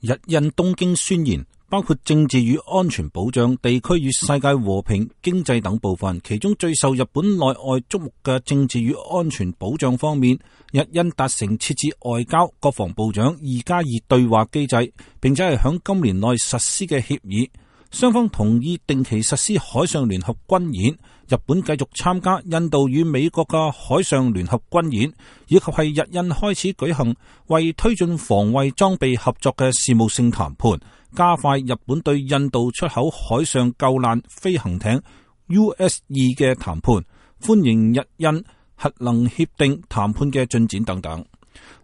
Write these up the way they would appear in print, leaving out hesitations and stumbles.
日印東京宣言包括政治與安全保障、地區與世界和平、經濟等部分，其中最受日本內外矚目嘅政治與安全保障方面，日印達成設置外交、國防部長2+2對話機制，並且係響今年內實施嘅協議。雙方同意定期實施海上聯合軍演，日本繼續參加印度與美國嘅海上聯合軍演，以及係日印開始舉行為推進防衛裝備合作嘅事務性談判，加快日本對印度出口海上救難飛行艇 US-2嘅談判，歡迎日印核能協定談判嘅進展等等。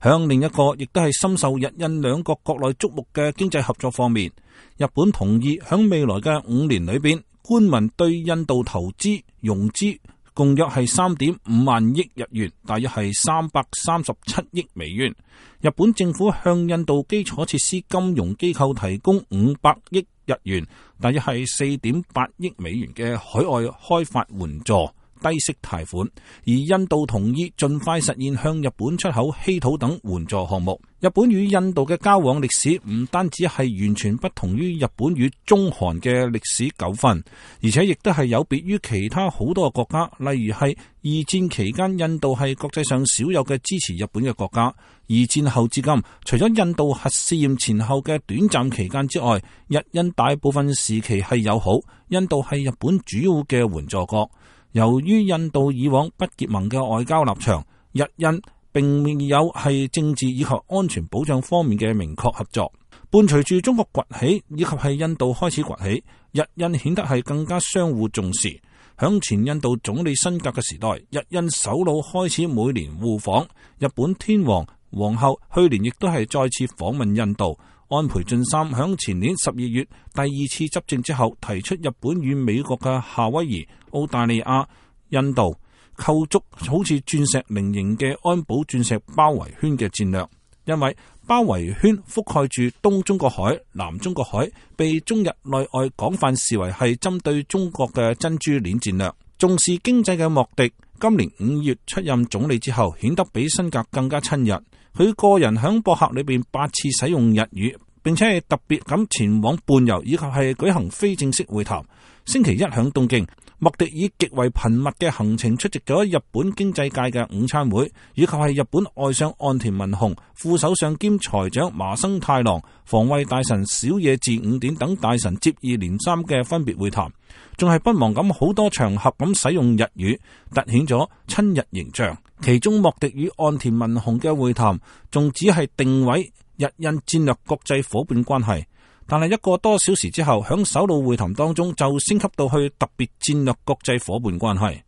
響另一個亦都係深受日印兩國國內矚目嘅經濟合作方面，日本同意響未來嘅5年裏邊，官民對印度投資融資共約係3.5萬億日元，大約係337億美元。日本政府向印度基礎設施金融機構提供500億日元，大約係4.8億美元嘅海外開發援助低息貸款，而印度同意盡快實現向日本出口稀土等援助項目。日本與印度嘅交往歷史唔單止係完全不同於日本與中韓嘅歷史糾紛，而且亦都係有別於其他好多個國家，例如係二戰期間印度係國際上少有嘅支持日本嘅國家。二戰後至今，除咗印度核試驗前後嘅短暫期間之外，日印大部分時期係友好，印度係日本主要嘅援助國。由於印度以往不結盟嘅外交立場，日印並未有係政治以及安全保障方面嘅明確合作。伴隨住中國崛起以及係印度開始崛起，日印顯得係更加相互重視。響前印度總理辛格嘅時代，日印首腦開始每年互訪。日本天皇皇后去年亦都係再次訪問印度。安倍晉三響前年12月第二次執政之後，提出日本與美國嘅夏威夷、澳大利亞、印度構築好似鑽石菱形嘅安保鑽石包圍圈嘅戰略，因為包圍圈覆蓋住東中國海、南中國海，被中日內外廣泛視為係針對中國嘅珍珠鏈戰略。重視經濟嘅莫迪今年5月出任總理之後，顯得比辛格更加親日。佢個人響博客裏邊8次使用日語，並且係特別咁前往伴遊以及係舉行非正式會談。星期一響東京，莫迪以極為頻密嘅行程出席咗日本經濟界嘅午餐會，以及係日本外相岸田文雄、副首相兼財長麻生太郎、防衛大臣小野寺五典等大臣接二連三嘅分別會談，仲係不忘咁好多場合咁使用日語，凸顯咗親日形象。其中莫迪與岸田文雄嘅會談仲只係定位日印戰略國際夥伴關係，但係1個多小時之後，響首腦會談當中就升級到去特別戰略國際夥伴關係。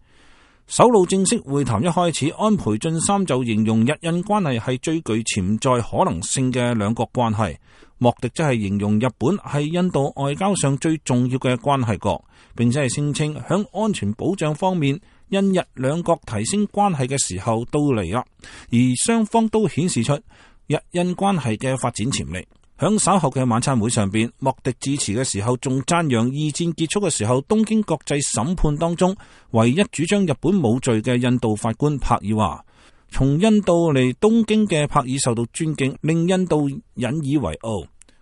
首腦正式會談一開始，安倍晉三就形容日印關係係最具潛在可能性嘅兩國關係，莫迪則係形容日本係印度外交上最重要嘅關係國，並且係聲稱響安全保障方面，印日兩國提升關係嘅時候到嚟啦，而雙方都顯示出日印關係嘅發展潛力。響稍後嘅晚餐會上邊，莫迪致辭嘅時候仲讚揚二戰結束嘅時候，東京國際審判當中唯一主張日本冇罪嘅印度法官帕爾話，從印度嚟東京嘅帕爾受到尊敬，令印度引以為傲。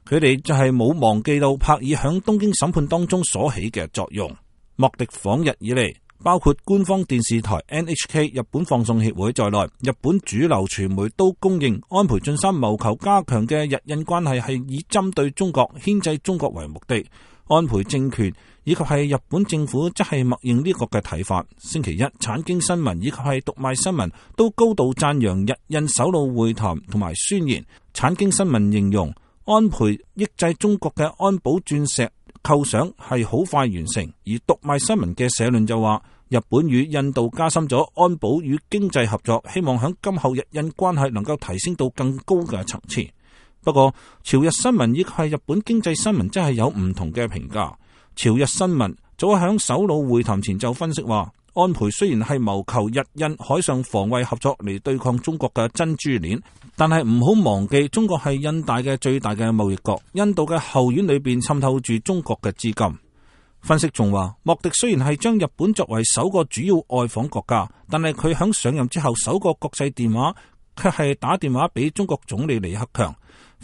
佢哋就係冇忘記到帕爾響東京審判當中所起嘅作用。莫迪訪日以嚟，包括官方電視台 NHK、日本放送協會在內，日本主流傳媒都公認安倍晉三謀求加強嘅日印關係係以針對中國、牽制中國為目的。安倍政權以及係日本政府則係默認呢個嘅睇法。星期一，產經新聞以及係讀賣新聞都高度讚揚日印首腦會談同埋宣言。產經新聞形容安倍抑制中國嘅安保鑽石構想係好快完成，而讀賣新聞嘅社論就話，日本與印度加深咗安保與經濟合作，希望響今後日印關係能夠提升到更高嘅層次。不過，朝日新聞以及係日本經濟新聞真係有唔同嘅評價。朝日新聞早響首腦會談前就分析話，安倍雖然係謀求日印海上防衛合作嚟對抗中國嘅珍珠鏈，但係唔好忘記中國係印大嘅最大嘅貿易國，印度嘅後院裏邊滲透住中國嘅資金。分析仲話，莫迪雖然係將日本作為首個主要外訪國家，但係佢響上任之後首個國際電話卻係打電話俾中國總理李克強。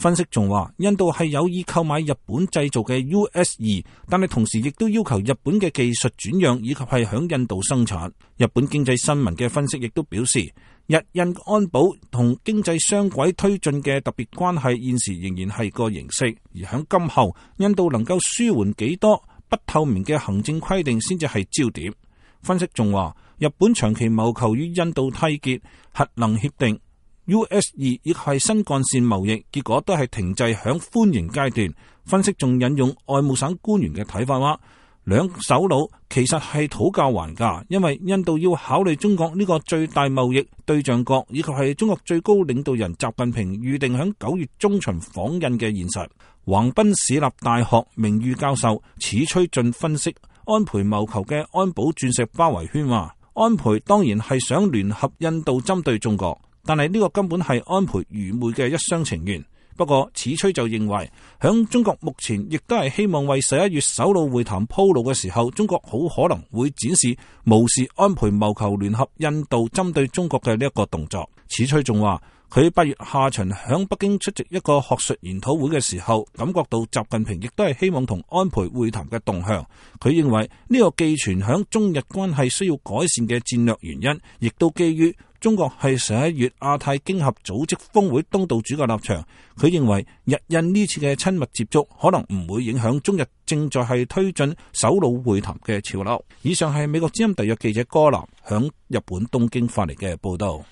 分析仲話，印度係有意購買日本製造嘅 US-2，但係同時亦都要求日本嘅技術轉讓以及係響印度生產。日本經濟新聞嘅分析亦都表示，日印安保同經濟雙軌推進嘅特別關係現時仍然係個形式，而響今後印度能夠舒緩幾多不透明嘅行政規定先至係焦點。分析仲話，日本長期謀求與印度締結核能協定。US-2 亦係新幹線貿易，結果都係停滯響歡迎階段。分析仲引用外務省官員嘅睇法話，兩首腦其實係討價還價，因為印度要考慮中國呢個最大貿易對象國，以及係中國最高領導人習近平預定響9月中旬訪印嘅現實。橫濱市立大學名譽教授矢吹俊分析安倍謀求嘅安保鑽石包圍圈話，安倍當然係想聯合印度針對中國，但係呢個根本係安倍愚昧嘅一廂情願。不過矢吹就認為，響中國目前亦都係希望為11月首腦會談鋪路嘅時候，中國好可能會展示無視安倍謀求聯合印度針對中國嘅呢一個動作。矢吹仲話，佢8月下旬響北京出席一個學術研討會嘅時候，感覺到習近平亦都係希望同安倍會談嘅動向。佢認為呢個寄存響中日關係需要改善嘅戰略原因，亦都基於中國係11月亞太經合組織峰會東道主嘅立場。佢認為日印呢次嘅親密接觸可能唔會影響中日正在係推進首腦會談嘅潮流。以上係美國之音特約記者柯南響日本東京發嚟嘅報道。